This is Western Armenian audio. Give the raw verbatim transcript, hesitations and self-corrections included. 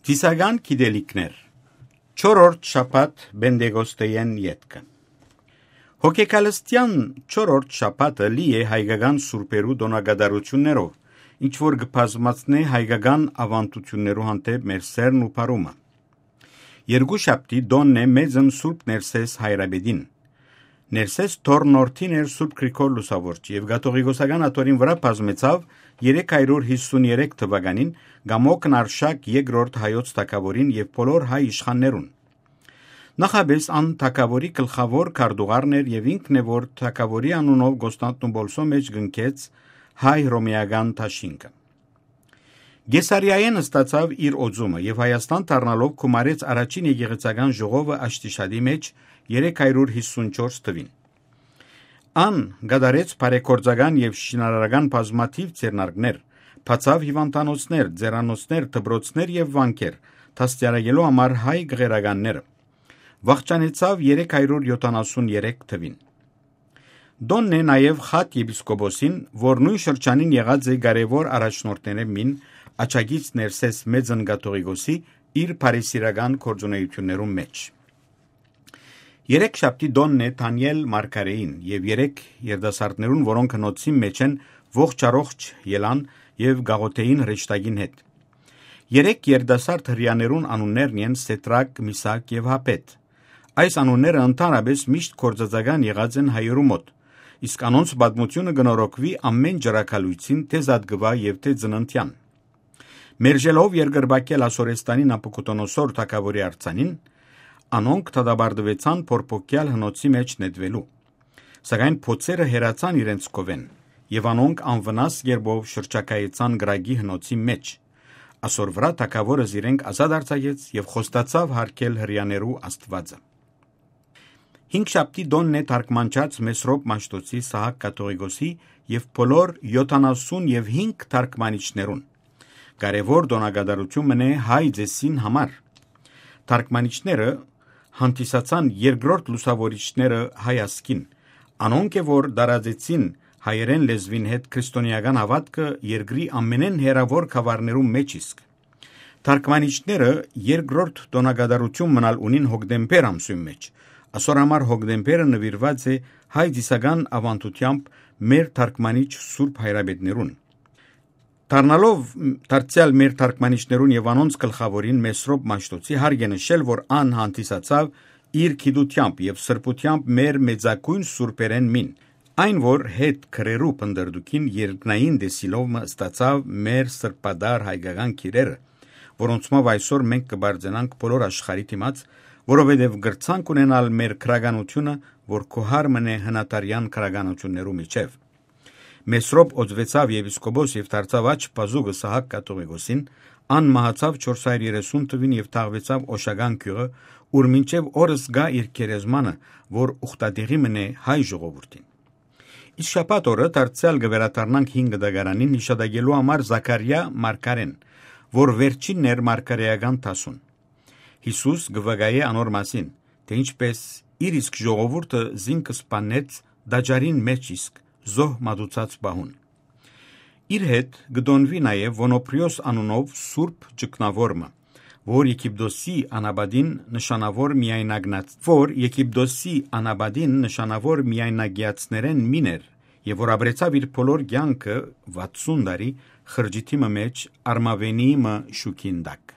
Ծիսական գիտելիքներ։ Չորրորդ շաբաթ Պենտեկոստէն ետքը։ Հոգեկալստեան չորրորդ շաբաթը լի է հայկական սուրբերու տօնակատարութիւններով, ինչ որ կը բազմացնէ հայկական աւանդութիւններու հանդէպ մեր սէրն ու բարումը։ Երկու շաբթի տօնն է մեծն Սուրբ Ներսէս հայրապետին։ Ներսէս թոռնորդին էր Սուրբ Գրիգոր Լուսաւորչի եւ կաթողիկոսական աթոռին վրայ բազմեցաւ երեք հարիւր յիսուն երեք թուականին Կամոքն Արշակ երկրորդ հայոց թագաւորին եւ բոլոր հայ իշխաններուն։ Նախապէս ան թագաւորի գլխաւոր քարտուղարն էր եւ ինքն է, որ թագաւորի անունով Կոստանդնուպոլսոյ մէջ կնքեց հայ հռոմեական դաշինքը։ Կեսարիայէն ստացաւ իր օծումը եւ Հայաստան դառնալով գումարեց առաջին եկեղեցական ժողովը Աշտիշատի մէջ երեք հարիւր յիսուն չորս թուին։ Ան կատարեց բարեգործական եւ շինարարական բազմաթիւ ձեռնարկներ, բացաւ հիւանդանոցներ, ձեռանոցներ, դպրոցներ եւ վանքեր, դաստիարակելու համար հայ կղերականները։ Վախճանեցաւ երեք հարիւր յոթանասուն երեք թուին։ Տօնն է նաեւ Խաթ եպիսկոպոսին, որ նոյն շրջանին եղած է կարեւոր առաջնորդներէն մին, աջակից Ներսէս մեծն կաթողիկոսի, իր բարեսիրական գործունեութիւններուն մէջ։ Երեք շաբթի տօնն է Դանիել Մարգարեին եւ երեք երիտասարդներուն, որոնք հնոցին մէջ են ողջ առողջ ելան եւ գաղութային հրեշտակին հետ։ Երեք երիտասարդ հրեաներուն անուններն են Սեդրակ, Միսակ եւ Հապետ։ Այս անունները ընդհանրապէս միշտ գործածական եղած են հայերու մօտ, իսկ անոնց պատմութիւնը կը նորոգուի ամէն ջրագալոյցին, թէ զատկուայ եւ թէ ծննդեան։ Մերժելով երկրպագել Ասորեստանի Նաբուքոդոնոսոր թագաւորի արձանին, անոնք դատապարտուեցան փորփոքեալ հնոցի մէջ նետուելու։ Սակայն փոցերը հեռացան իրենց քովէն, եւ անոնք անվնաս կերպով շրջագայեցան կրակի հնոցի մէջ։ Ասոր վրայ թագաւորը զիրենք ազատ արձակեց եւ խոստացաւ յարգել հրեաներու Աստուածը։ Հինգշաբթի տօնն է թարգմանչած Մեսրոպ Մաշտոցի, Սահակ կաթողիկոսի եւ բոլոր յոթանասուն եւ հինգ թարգմանիչներուն։ Կարեւոր տօնակատարութիւն մըն է հայ ծեսին համար։ Թարգմանիչները հանդիսացան երկրորդ լուսաւորիչները հայ ազգին, անոնք է, որ տարածեցին հայերէն լեզուին հետ քրիստոնէական հաւատքը երկրի ամենէն հեռաւոր գաւառներուն մէջ իսկ։ Թարգմանիչները երկրորդ տօնակատարութիւն մնալ ունին հոկտեմբեր ամսին մէջ։ Ասոր համար հոկտեմբերը նուիրուած է հայ ծիսական աւանդութեամբ մեր թարգմանիչ սուրբ հայրապետներուն։ Դառնալով դարձեալ մեր թարգմանիչներուն եւ անոնց գլխաւորին Մեսրոպ Մաշտոցի, հարկ է նշել, որ ան հանդիսացաւ իր գիտութեամբ եւ սրբութեամբ մեր մեծագոյն սուրբերէն մին, այն որ հետ քրերու փնտռտուքին երկնային տեսիլով մը ստացաւ մեր սրբատար հայկական գիրերը, որոնցմով այսօր մենք կը պարծենանք բոլոր աշխարհի դիմաց, որովհետեւ կրցանք ունենալ մեր գրականութիւնը, որ գոհար մնէ հնադարեան գրականութիւններու միջեւ։ Մեսրոպ օծուեցաւ եպիսկոպոս եւ դարձաւ աջ բազուկը Սահակ կաթողիկոսին, ան մահացաւ չորս հարիւր երեսուն թուին եւ թաղուեցաւ Օշական գիւղը, ուր մինչեւ օրս կայ իր գերեզմանը, որ ուխտատեղի մնէ հայ ժողովուրդին։ Իսկ շաբաթ օրը դարձեալ կը վերադառնանք հին կտակարանին յիշատակելու համար Զաքարիա մարգարէն, որ վերջինն էր մարգարէական դասուն։ Յիսուս կը վկայէ անոր մասին, թէ ինչպէս իր իսկ ժողովուրդը զինք սպաննեց տաճարին մէջ իսկ զոհ մատուցած պահուն։ Իր հետ կը տօնուի նաեւ Ոնոպրիոս անունով սուրբ ճգնաւոր մը, որ Եգիպտոսի անապատին նշանաւոր միայնակնած-, որ Եգիպտոսի անապատին նշանաւոր միայնակեացներէն մին էր եւ որ ապրեցաւ իր բոլոր կեանքը վաթսուն տարի խրճիթի մը մէջ արմաւենի մը շուքին տակ։